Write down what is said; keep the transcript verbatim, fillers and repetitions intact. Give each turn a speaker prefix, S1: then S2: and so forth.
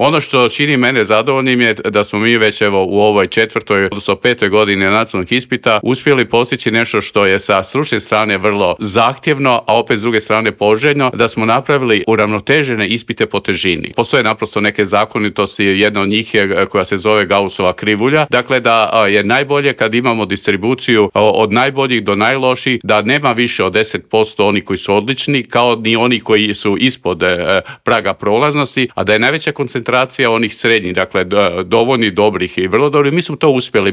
S1: Ono što čini mene zadovoljnim je da smo mi već evo u ovoj četvrtoj, odnosno petoj godini nacionalnog ispita uspjeli postići nešto što je sa stručne strane vrlo zahtjevno, a opet s druge strane poželjno, da smo napravili uravnotežene ispite po težini. Postoje naprosto neke zakonitosti, jedna od njih je koja se zove Gaussova krivulja, dakle da je najbolje kad imamo distribuciju od najboljih do najlošijih, da nema više od deset posto oni koji su odlični, kao ni oni koji su ispod praga prolaznosti, a da je najveća koncentracija onih srednjih, dakle dovoljni, dobrih i vrlo dobrih. Mi smo to uspjeli.